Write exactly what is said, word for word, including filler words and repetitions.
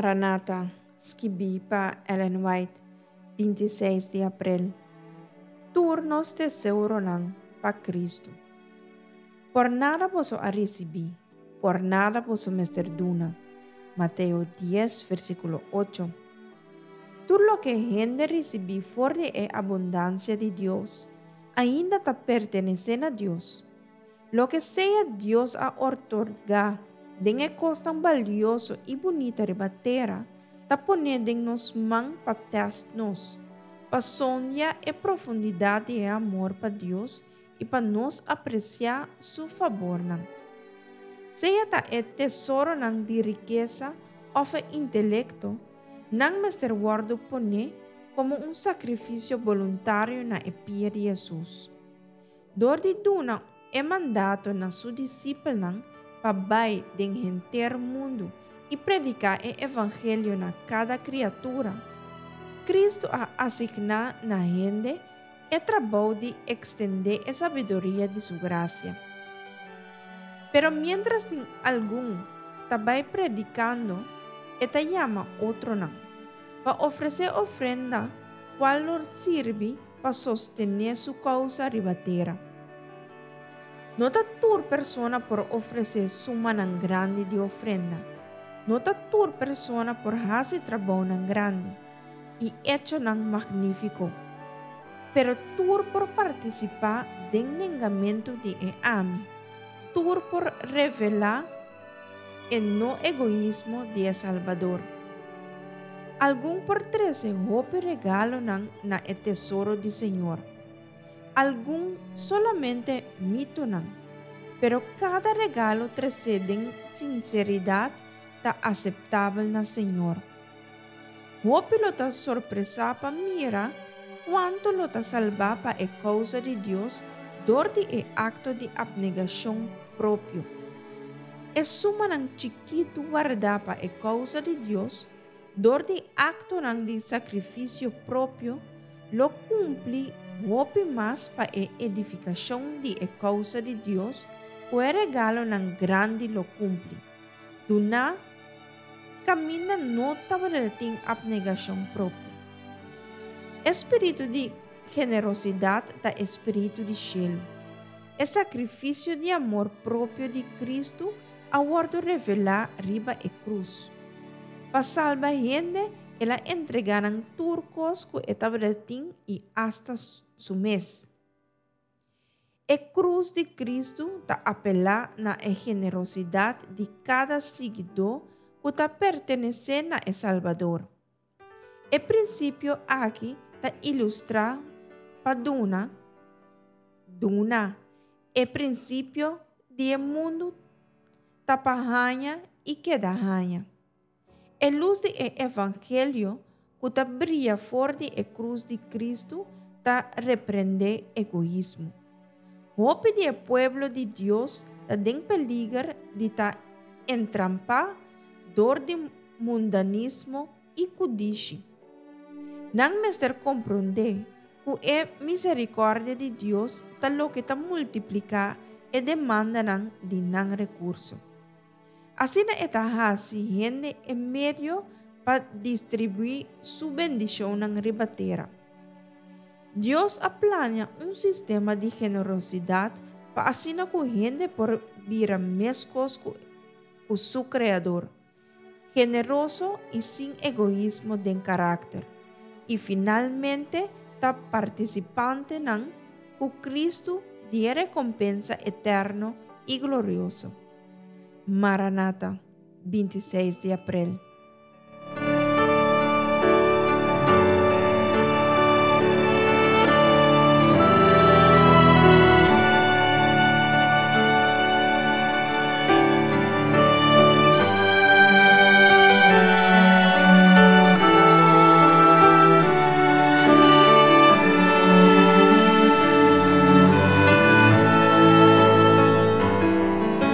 Maranata, skibí pa Ellen White, binti seis di aprel. Tur nos tesoronan pa Kristu. Por nada boso a risibí, por nada boso mester duna. Mateo dies, versíkulo ocho. Tur loke hende risibí for di e abundansia di Dios, ainda ta pertenesé na Dios. Loke sea Dios a otorgá den e kosnan balioso i bunita riba tera, ta pone den nos man pa tèst nos, pa sondia e profundidat di e amor pa Dios i pa nos apresiá su fabornan. Sea ta e tesoronan di rikesa òf e intelekto, nan mester wòrdu poné komo un sakrifisio boluntario na e pia di Hesus. Dor di duna e mandato na su disipelnan pa bai den henter mundu i prediká e evangelio na kada kriatura, Kristu a asigná na hende e trabou di ekstendé e sabiduria di su grasia. Pero miéntras tin algun ta bai predikando, e ta yama otronan pa ofresé ofrenda kual lo sirbi pa sostené su kousa riba tera. No ta tur persona por ofresé sumanan grandi di ofrenda. No ta tur persona por hasi trabounan grandi i echonan magnífiko. Pero tur por partisipá den nengamentu di e ami. Tur por revelá e no egoismo di e Salbador. Algun por trese hopi regalonan na e tesoro di Señor. Algun solamente mitonan. Pero kada regalo tresé den sinseridat ta aseptabel na Señor. Hopi lo ta sorpresá pa mira kuantu lo ta salbá pa e kousa di Dios dor di e akto di apnegashon propio. E sumanan chikitu wardá pa e kousa di Dios dor di aktonan di sakrifisio propio lo kumpli hopi mas pa e edifikashon di e kousa di Dios ku e regalonan grandi lo kumpli. Duná kaminda no tabatin apnegashon propio. E spiritu di generosidat ta e spiritu di shelu. E sakrifisio di amor propio di Kristu a wòrdu revelá riba e krus. Pa salba hende, el a entregá nan tur kos ku e tabatin i asta su mes. E krus di Kristu ta apelá na e generosidat di kada siguidó ku ta pertenesé na e Salbador. E prinsipio aki ta ilustrá pa duna, duna. E prinsipio di e mundu ta pa haña i keda haña. E lus di e evangelio ku ta bria for di e krus di Kristu ta reprendé egoismo. Hopi di e pueblo di Dios ta den peliger di ta entrampá dor di mundanismo i kudishi. Nan mester komprondé ku e miserikòrdia di Dios ta loke ta multipliká e demandanan di nan rekurso. Asina e ta hasi hende e medio pa distribuí su bendishonnan riba tera. Dios a plania un sistema di generosidat pa asina ku hende por bira meskos ku ku su Kreador, generoso i sin egoismo den karakter, i finalmente ta partisipantenan ku Kristu di e rekompensa eterno i glorioso. Maranata, binti seis di aprel.